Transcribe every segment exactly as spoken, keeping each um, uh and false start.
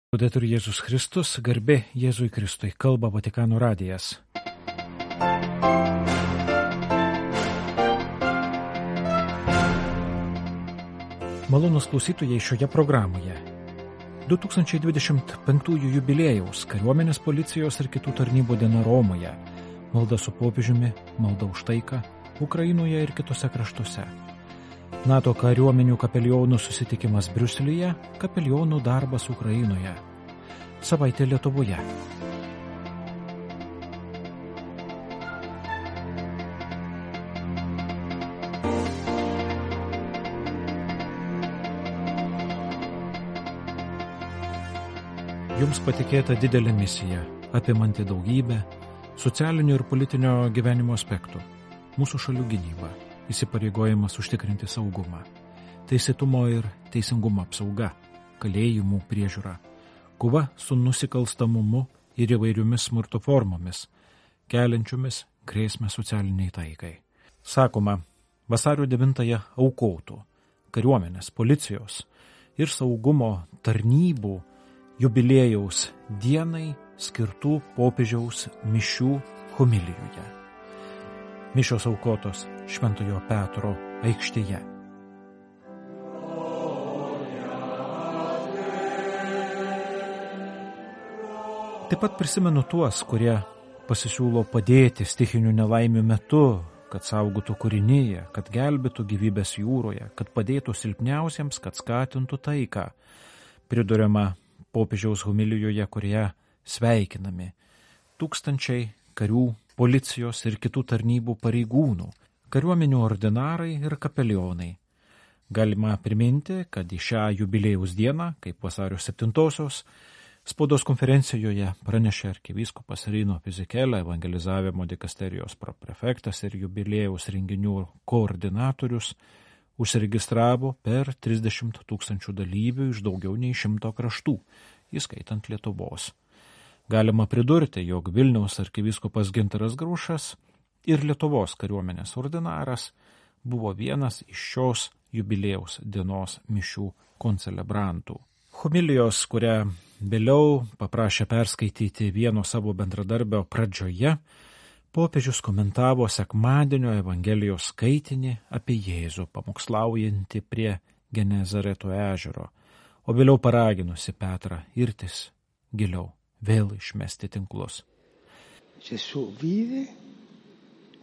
Laudetur Jėzus Kristus, garbė Jėzui Kristui, kalba Vatikano radijas. Malonūs klausytojai šioje programoje. du tūkstančiai dvidešimt penktųjų jubiliejaus kariuomenės, policijos ir kitų tarnybų diena Romoje. Malda su popiežiumi, malda už taiką Ukrainoje ir kitose kraštuose. NATO kariuomenių kapelionų susitikimas Briuselyje, kapelionų darbas Ukrainoje. Savaitė Lietuvoje. Jums patikėta didelė misija, apimanti daugybę socialinio ir politinio gyvenimo aspektų. Mūsų šalių gynyba, įsipareigojimas užtikrinti saugumą, teisėtumo ir teisingumo apsauga, kalėjimų priežiūra, kova su nusikalstamumu ir įvairiomis smurto formomis, keliančiomis grėsmę socialiniai taikai. Sakoma, vasario devintąją aukotų kariuomenės, policijos ir saugumo tarnybų jubiliejaus dienai skirtų popiežiaus mišių homilijoje. Mišios aukotos Šventojo Petro aikštėje. Taip pat prisimenu tuos, kurie pasisiūlo padėti stichinių nelaimių metu, kad saugotų kūrinyje, kad gelbėtų gyvybės jūroje, kad padėtų silpniausiems, kad skatintų taiką. Priduriama popiežiaus homilijoje, kurioje sveikinami tūkstančiai karių, policijos ir kitų tarnybų pareigūnų, kariuomenių ordinarai ir kapelionai. Galima priminti, kad į šią jubiliejaus dieną, kaip vasario septintosios, spaudos konferencijoje pranešė arkivyskupas Rino Fisichella, evangelizavimo dikasterijos prefektas ir jubiliejaus renginių koordinatorius, užsiregistravo per trisdešimt tūkstančių dalyvių iš daugiau nei šimto kraštų, įskaitant Lietuvos. Galima pridurti, jog Vilniaus arkivyskupas Gintaras Grušas ir Lietuvos kariuomenės ordinaras buvo vienas iš šios jubiliejaus dienos mišių koncelebrantų. Homilijos, kurią vėliau paprašė perskaityti vieno savo bendradarbio pradžioje, popiežius komentavo sekmadienio Evangelijos skaitinį apie Jėzų pamokslaujantį prie Genezareto ežero, o vėliau paraginusi Petrą irtis giliau, vėl išmesti tinklus. Gesù vide,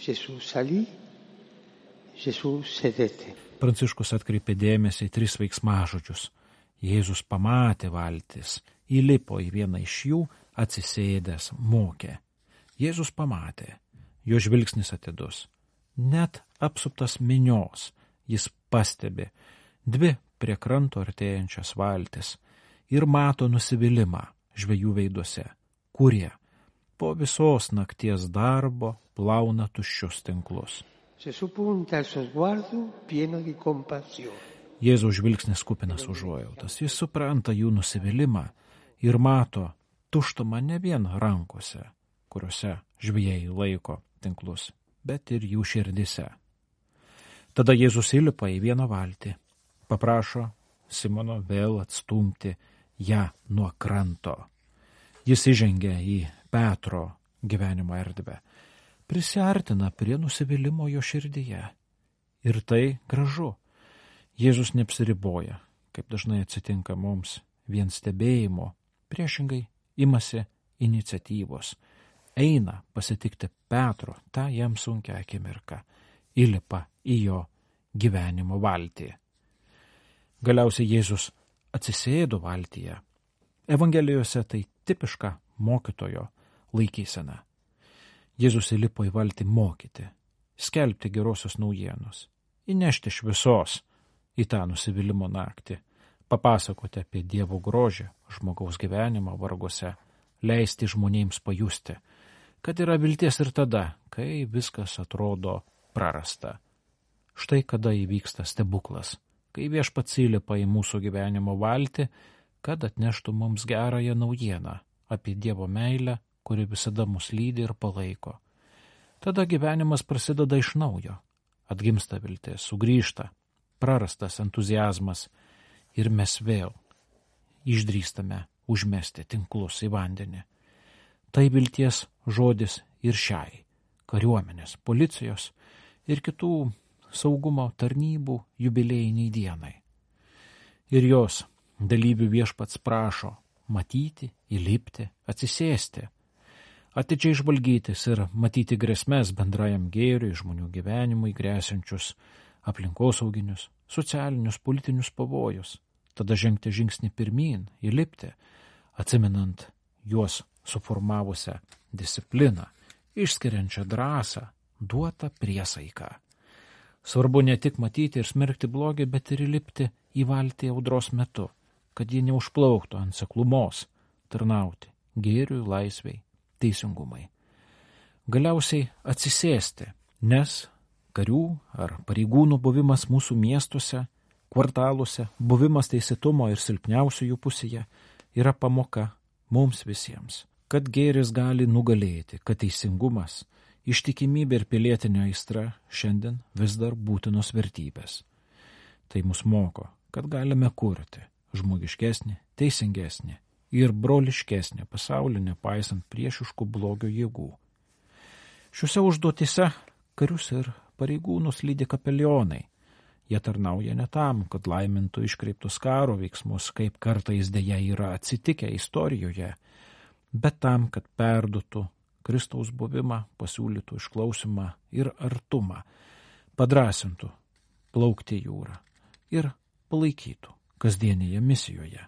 Gesù salì, Gesù sedette. Pranciškus atkreipė dėmesį į tris veiksmažodžius. Jėzus pamatė valtis, įlipo į vieną iš jų, atsisėdęs mokė. Jėzus pamatė, jo žvilgsnis atidus. Net apsuptas minios jis pastebi dvi prie kranto artėjančias valtis ir mato nusivylimą žvejų veiduose, kurie po visos nakties darbo plauna tuščius tinklus. Jėzaus žvilgsnis kupinas užuojautos, jis supranta jų nusivylimą ir mato tuštumą ne vien rankose, kuriuose žvejai laiko tinklus, bet ir jų širdise. Tada Jėzus įlipa į vieną valtį, paprašo Simono vėl atstumti ją nuo kranto. Jis įžengia į Petro gyvenimo erdvę, prisiartina prie nusivylimo jo širdyje. Ir tai gražu. Jėzus neapsiriboja, kaip dažnai atsitinka mums, vien stebėjimo, priešingai imasi iniciatyvos. Eina pasitikti Petro tą jam sunkią akimirką, įlipa į jo gyvenimo valtį. Galiausiai Jėzus atsisėdo valtyje. Evangelijose tai tipiška mokytojo laikysena. Jėzus įlipo į valtį mokyti, skelbti gerosios naujienos, įnešti šviesos į tą nusivylimo naktį, papasakoti apie Dievo grožį, žmogaus gyvenimą varguose, leisti žmonėms pajusti, kad yra vilties ir tada, kai viskas atrodo prarasta. Štai kada įvyksta stebuklas, kai viešpats įlipa į mūsų gyvenimo valtį, kad atneštų mums gerąją naujieną apie Dievo meilę, kuri visada mus lydi ir palaiko. Tada gyvenimas prasideda iš naujo, atgimsta viltis, sugrįžta, prarastas entuziazmas ir mes vėl išdrįstame užmesti tinklus į vandenį. Tai vilties žodis ir šiai kariuomenės, policijos ir kitų saugumo tarnybų jubiliejiniai dienai. Ir jos dalyvių viešpats prašo matyti, įlipti, atsisėsti, atidžiai žvalgytis ir matyti grėsmes bendrajam gėriui, žmonių gyvenimui grėsiančius aplinkosauginius, socialinius, politinius pavojus, tada žengti žingsnį pirmyn, įlipti, atsimenant juos suformavusią discipliną, išskiriančią drąsą, duotą priesaiką. Svarbu ne tik matyti ir smerkti blogį, bet ir įlipti į valtį audros metu, kad ji neužplauktų ant seklumos, tarnauti gėriui, laisvei, teisingumai. Galiausiai atsisėsti, nes karių ar pareigūnų buvimas mūsų miestuose, kvartaluose, buvimas teisėtumo ir silpniausiųjų pusėje yra pamoka mums visiems, kad gėris gali nugalėti, kad teisingumas, ištikimybė ir pilietinė aistra šiandien vis dar būtinos vertybės. Tai mus moko, kad galime kurti žmogiškesnį, teisingesnį ir broliškesnį pasaulį, nepaisant priešiškų blogio jėgų. Šiuose užduotise karius ir pareigūnus lydi kapelionai. Jie tarnauja ne tam, kad laimintų iškreiptus karo veiksmus, kaip kartais dėja yra atsitikę istorijoje, bet tam, kad perduotų Kristaus buvimą, pasiūlytų išklausimą ir artumą, padrasintų plaukti jūrą ir palaikytų kasdienėje misijoje.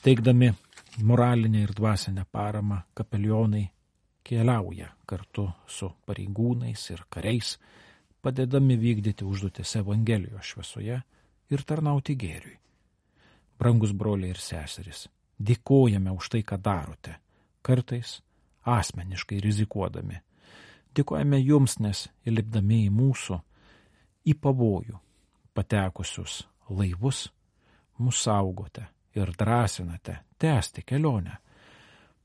Teikdami moralinę ir dvasinę paramą, kapelionai keliauja kartu su pareigūnais ir kariais, padėdami vykdyti užduotis Evangelijos šviesoje ir tarnauti gėriui. Brangus broliai ir seserys, dėkojame už tai, ką darote, kartais asmeniškai rizikuodami. Dėkojame jums, nes įlipdami į mūsų, į pavojų patekusius laivus, mus saugote ir drąsinate tęsti kelionę,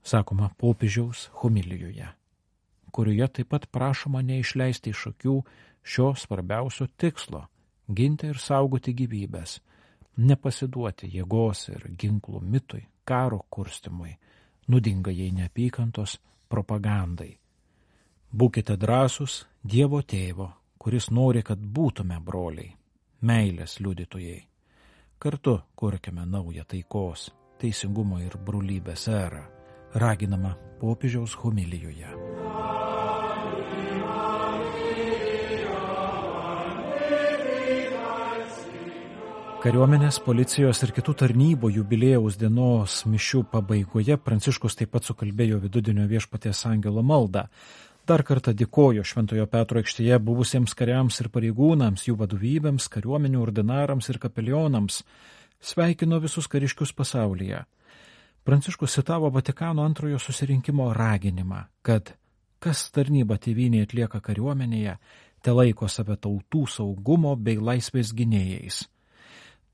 sakoma popiežiaus homilijoje, kurioje taip pat prašoma neišleisti iš akių šio svarbiausio tikslo – ginti ir saugoti gyvybės, nepasiduoti jėgos ir ginklų mitui, karo kurstimui, nudingajai neapykantos propagandai. Būkite drąsūs Dievo tėvo, kuris nori, kad būtume broliai, meilės liudytojai. Kartu kurkime naują taikos, teisingumo ir brolybės erą, raginama popiežiaus homilijoje. Kariuomenės, policijos ir kitų tarnybų jubiliejaus dienos mišių pabaigoje Pranciškus taip pat sukalbėjo vidudienio viešpaties angelo maldą. Dar kartą dėkoju Šventojo Petro aikštėje buvusiems kariams ir pareigūnams, jų vadovybėms, kariuomenių ordinarams ir kapelionams. Sveikino visus kariškius pasaulyje. Pranciškus citavo Vatikano antrojo susirinkimo raginimą, kad kas tarnybą tėvynėje atlieka kariuomenėje, te laiko save tautų saugumo bei laisvės gynėjais.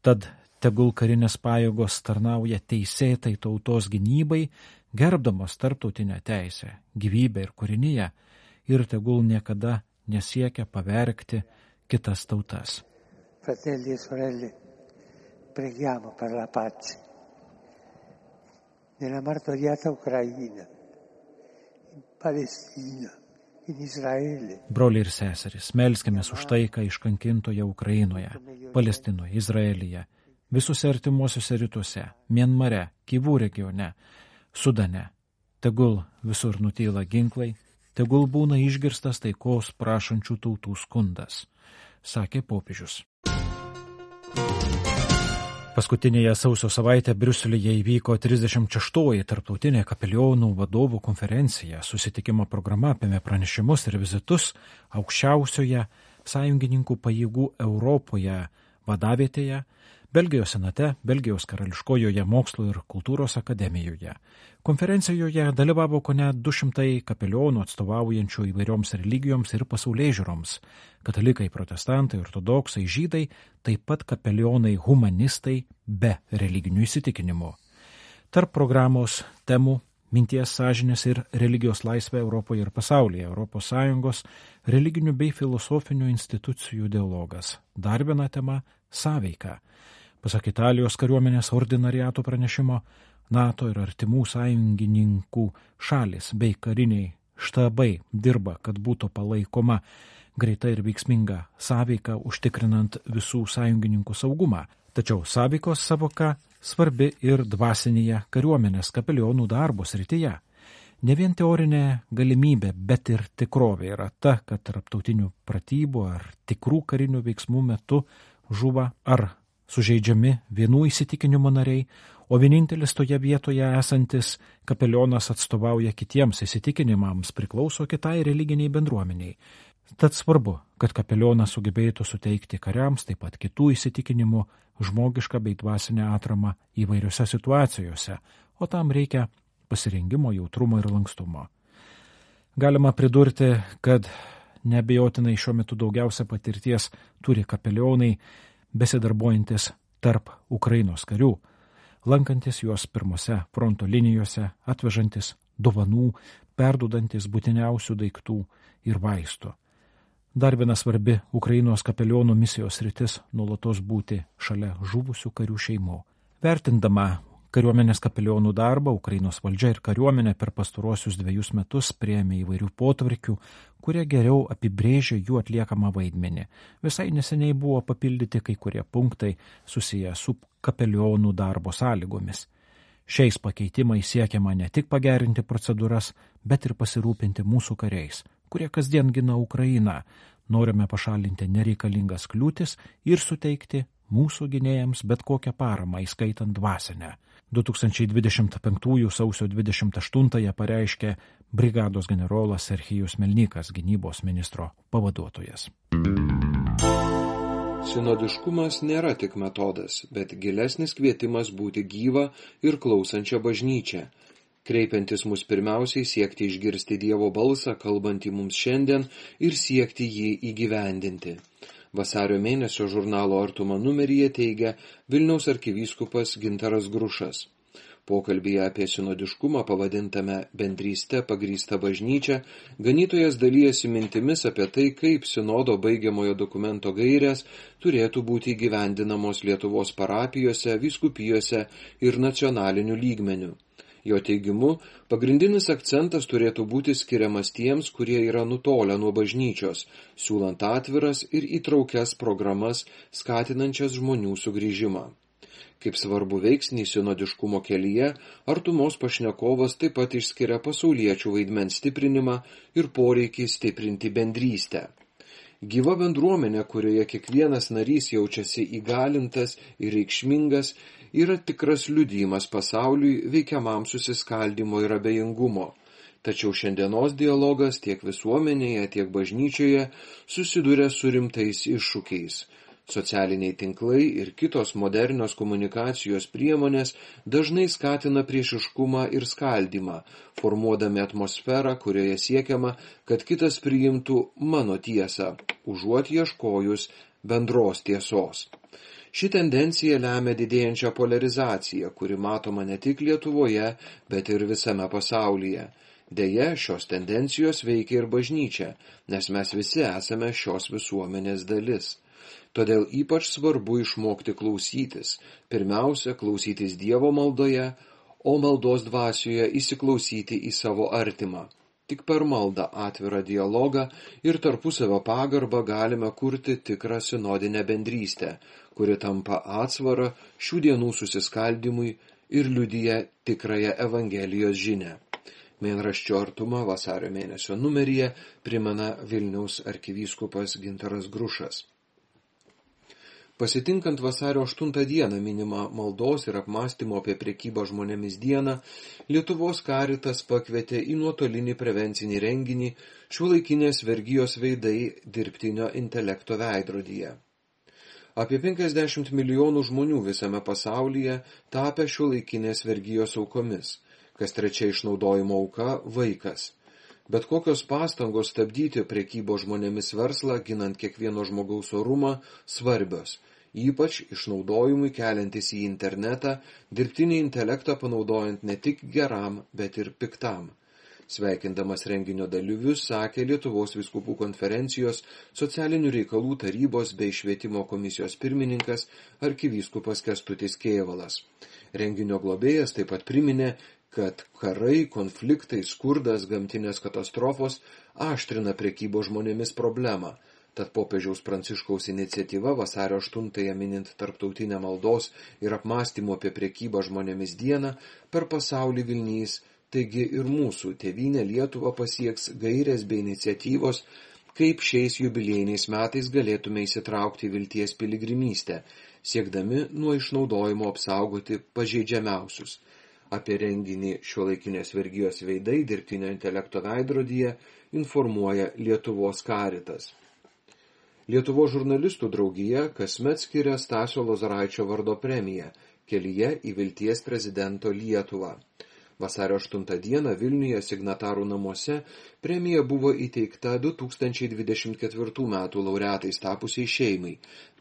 Tad tegul karinės pajėgos tarnauja teisėtai tautos gynybai, gerbdamos tarptautinę teisę, gyvybę ir kūriniją, ir tegul niekada nesiekia pavergti kitas tautas. Fratelli e sorelle, preghiamo per la pace nella martoriata Ucraina, in Palestina, in Israele. Broliai ir seserys, melskimės už taiką iškankintoje Ukrainoje, Palestinoje, Izraelyje, visuose artimuosiuose rytuose, Mianmare, Kivų regione, Sudane. Tegul visur nutyla ginklai, tegul būna išgirstas taikos prašančių tautų skundas, sakė popiežius. Paskutinėje sausio savaitę Briuselyje įvyko trisdešimt šeštoji tarptautinė kapelionų vadovų konferencija. Susitikimo programa apėmė pranešimus ir vizitus aukščiausioje sąjungininkų pajėgų Europoje vadavietėje, Belgijos senate, Belgijos karališkojoje mokslo ir kultūros akademijoje. Konferencijoje dalyvavo kone du šimtai kapelionų atstovaujančių įvairioms religijoms ir pasaulėžiūroms. Katalikai, protestantai, ortodoksai, žydai, taip pat kapelionai humanistai be religinių įsitikinimų. Tarp programos temų minties sąžinės ir religijos laisvė Europoje ir pasaulyje, Europos Sąjungos religinių bei filosofinių institucijų dialogas. Dar viena tema – sąveika. Pasak Italijos kariuomenės ordinariato pranešimo, NATO ir artimų sąjungininkų šalis bei kariniai štabai dirba, kad būtų palaikoma greita ir veiksminga sąveika užtikrinant visų sąjungininkų saugumą. Tačiau sąveikos savoka svarbi ir dvasinėje kariuomenės kapelionų darbo srityje. Ne vien teorinė galimybė, bet ir tikrovė yra ta, kad tarptautinių pratybų ar tikrų karinių veiksmų metu žuva ar sužeidžiami vienų įsitikinimų nariai, o vienintelis toje vietoje esantis kapelionas atstovauja kitiems įsitikinimams, priklauso kitai religiniai bendruomeniai. Tad svarbu, kad kapelionas sugebėtų suteikti kariams taip pat kitų įsitikinimų žmogišką bei dvasinę atramą įvairiose situacijose, o tam reikia pasirengimo, jautrumo ir lankstumo. Galima pridurti, kad neabejotinai šiuo metu daugiausia patirties turi kapelionai besidarbuojantis tarp Ukrainos karių, lankantis juos pirmose fronto linijose, atvežantis dovanų, perduodantis būtiniausių daiktų ir vaistų. Dar viena svarbi Ukrainos kapelionų misijos sritis – nuolatos būti šalia žuvusių karių šeimų. Vertindama kariuomenės kapelionų darbą, Ukrainos valdžia ir kariuomenė per pastaruosius dviejus metus priėmė įvairių potvarkių, kurie geriau apibrėžia jų atliekamą vaidmenį. Visai neseniai buvo papildyti kai kurie punktai susiję su kapelionų darbo sąlygomis. Šiais pakeitimais siekiama ne tik pagerinti procedūras, bet ir pasirūpinti mūsų kariais, kurie kasdien gina Ukrainą. Norime pašalinti nereikalingas kliūtis ir suteikti mūsų gynėjams bet kokią paramą, įskaitant dvasinę. du tūkstančiai dvidešimt penktųjų sausio dvidešimt aštuntąją pareiškė brigados generolas Serhijus Melnikas, gynybos ministro pavaduotojas. Sinodiškumas nėra tik metodas, bet gilesnis kvietimas būti gyvą ir klausančią bažnyčią, kreipiantis mus pirmiausiai siekti išgirsti Dievo balsą, kalbantį mums šiandien ir siekti jį įgyvendinti. Vasario mėnesio žurnalo Artuma numeryje teigia Vilniaus arkivyskupas Gintaras Grušas. Pokalbyje apie sinodiškumą pavadintame Bendryste pagrįsta bažnyčia, ganytojas dalijasi mintimis apie tai, kaip sinodo baigiamojo dokumento gairės turėtų būti įgyvendinamos Lietuvos parapijose, vyskupijose ir nacionaliniu lygmeniu. Jo teigimu, pagrindinis akcentas turėtų būti skiriamas tiems, kurie yra nutolę nuo bažnyčios, siūlant atviras ir įtraukias programas, skatinančias žmonių sugrįžimą. Kaip svarbu veiksnį sinodiškumo kelyje, Artumos pašnekovas taip pat išskiria pasauliečių vaidmens stiprinimą ir poreikį stiprinti bendrystę. Gyva bendruomenė, kurioje kiekvienas narys jaučiasi įgalintas ir reikšmingas, yra tikras liudijimas pasauliui veikiamam susiskaldimo ir abejingumo. Tačiau šiandienos dialogas tiek visuomenėje, tiek bažnyčioje susiduria su rimtais iššūkiais. Socialiniai tinklai ir kitos modernios komunikacijos priemonės dažnai skatina priešiškumą ir skaldymą, formuodami atmosferą, kurioje siekiama, kad kitas priimtų mano tiesą, užuot ieškojus bendros tiesos. Ši tendencija lemia didėjančią polarizaciją, kuri matoma ne tik Lietuvoje, bet ir visame pasaulyje. Deja, šios tendencijos veikia ir bažnyčia, nes mes visi esame šios visuomenės dalis. Todėl ypač svarbu išmokti klausytis. Pirmiausia, klausytis Dievo maldoje, o maldos dvasioje įsiklausyti į savo artimą. Tik per maldą, atvirą dialogą ir tarpusavio pagarbą galime kurti tikrą sinodinę bendrystę, kuri tampa atsvara šių dienų susiskaldimui ir liudija tikrąją Evangelijos žinią. Mėnraščio Artuma vasario mėnesio numeryje primena Vilniaus arkivyskupas Gintaras Grušas. Pasitinkant vasario aštuntą dieną minimą maldos ir apmąstymo apie prekybą žmonėmis dieną, Lietuvos Karitas pakvietė į nuotolinį prevencinį renginį šiuolaikinės vergijos veidai dirbtinio intelekto veidrodyje. Apie penkiasdešimt milijonų žmonių visame pasaulyje tapę šiuolaikinės vergijos aukomis, kas trečia išnaudojimo auka – vaikas. Bet kokios pastangos stabdyti prekybos žmonėmis verslą, ginant kiekvieno žmogaus orumą, svarbios. Ypač išnaudojimui keliantis į internetą, dirbtinį intelektą panaudojant ne tik geram, bet ir piktam. Sveikindamas renginio dalyvius, sakė Lietuvos vyskupų konferencijos, socialinių reikalų tarybos bei švietimo komisijos pirmininkas arkivyskupas Kęstutis Kėvalas. Renginio globėjas taip pat priminė, kad karai, konfliktai, skurdas, gamtinės katastrofos aštrina prekybos žmonėmis problemą. Tad popiežiaus Pranciškaus iniciatyva vasario aštuntąją minint tarptautinę maldos ir apmąstymų apie prekybą žmonėmis dieną per pasaulį Vilnys, taigi ir mūsų tėvynė Lietuva pasieks gairės bei iniciatyvos, kaip šiais jubiliejiniais metais galėtume įsitraukti į vilties piligrimystę, siekdami nuo išnaudojimo apsaugoti pažeidžiamiausius. Apie renginį Šiuolaikinės vergijos veidai dirbtinio intelekto veidrodyje informuoja Lietuvos Karitas. Lietuvos žurnalistų draugija kasmet skiria Stasio Lozoraičio vardo premiją kelyje į vilties prezidento Lietuvą. Vasario aštuntą dieną Vilniuje signatarų namuose premija buvo įteikta du tūkstančiai dvidešimt ketvirtų metų laureatais tapusiai šeimai,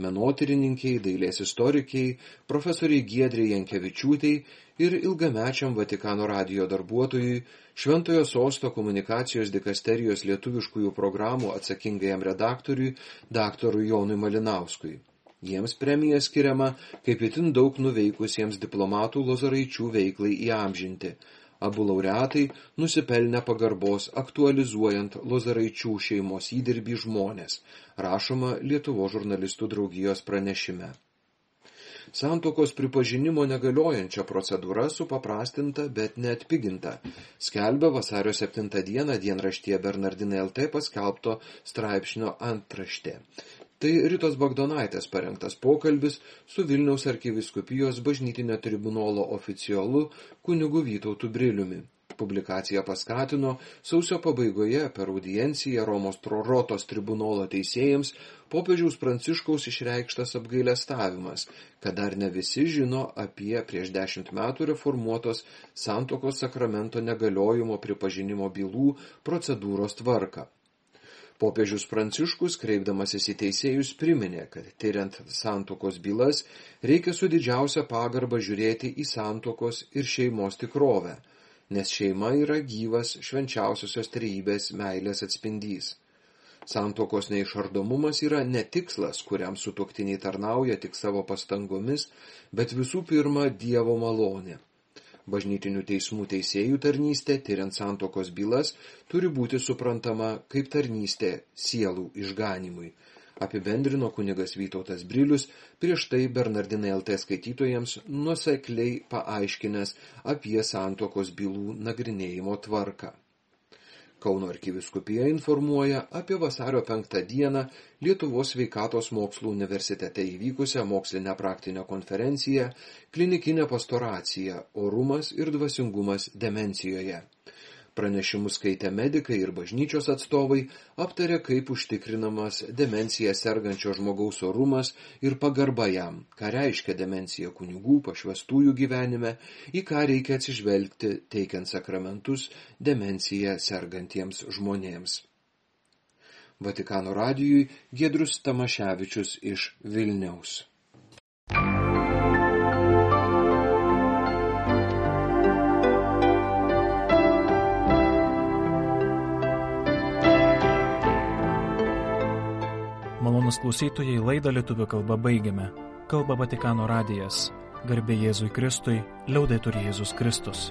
menotyrininkiai, dailės istorikiai, profesoriai Giedrei Jankevičiūtei ir ilgamečiam Vatikano radijo darbuotojui, Šventojo Sosto komunikacijos dikasterijos lietuviškųjų programų atsakingajam redaktoriui, daktarui Jonui Malinauskui. Jiems premija skiriama kaip itin daug nuveikusiems diplomatų Lozoraičių veiklai įamžinti. Abu laureatai nusipelnė pagarbos aktualizuojant Lozoraičių šeimos įdirbį žmonės, rašoma Lietuvos žurnalistų draugijos pranešime. Santuokos pripažinimo negaliojančia procedūra supaprastinta, bet neatpiginta, skelbia vasario septintą dieną dienraštyje Bernardinai L T paskelbto straipsnio antraštė. Tai Ritos Bagdonaitės parengtas pokalbis su Vilniaus arkivyskupijos bažnytinio tribunolo oficialu kunigu Vytautu Briliumi. Publikaciją paskatino sausio pabaigoje per audienciją Romos prorotos tribunolo teisėjams popiežiaus Pranciškaus išreikštas apgailestavimas, kad dar ne visi žino apie prieš dešimt metų reformuotos santuokos sakramento negaliojimo pripažinimo bylų procedūros tvarką. Popiežius Pranciškus, kreipdamasis į teisėjus, priminė, kad tyriant santuokos bylas reikia su didžiausia pagarba žiūrėti į santuokos ir šeimos tikrovę, nes šeima yra gyvas švenčiausiosios trejybės meilės atspindys. Santuokos neišardomumas yra ne tikslas, kuriam sutuoktiniai tarnauja tik savo pastangomis, bet visų pirma Dievo malonė. Bažnytinių teismų teisėjų tarnystė, tyriant santuokos bylas, turi būti suprantama kaip tarnystė sielų išganimui, apibendrino kunigas Vytautas Brilius, prieš tai Bernardinai L T skaitytojams nuosekliai paaiškinęs apie santuokos bylų nagrinėjimo tvarką. Kauno arkivyskupija informuoja apie vasario penktą dieną Lietuvos sveikatos mokslų universitete įvykusią mokslinę praktinę konferenciją Klinikinė pastoracija – orumas ir dvasingumas demencijoje. Pranešimus skaitę medikai ir bažnyčios atstovai aptarė, kaip užtikrinamas demencija sergančio žmogaus orumas ir pagarba jam, ką reiškia demencija kunigų pašvestųjų gyvenime, į ką reikia atsižvelgti teikiant sakramentus demencija sergantiems žmonėms. Vatikano radijui Giedrius Tamaševičius iš Vilniaus. Malonūs klausytojai, laidą lietuvių kalba baigiame. Kalba Vatikano radijas. Garbė Jėzui Kristui, liaudetur Jėzus Kristus.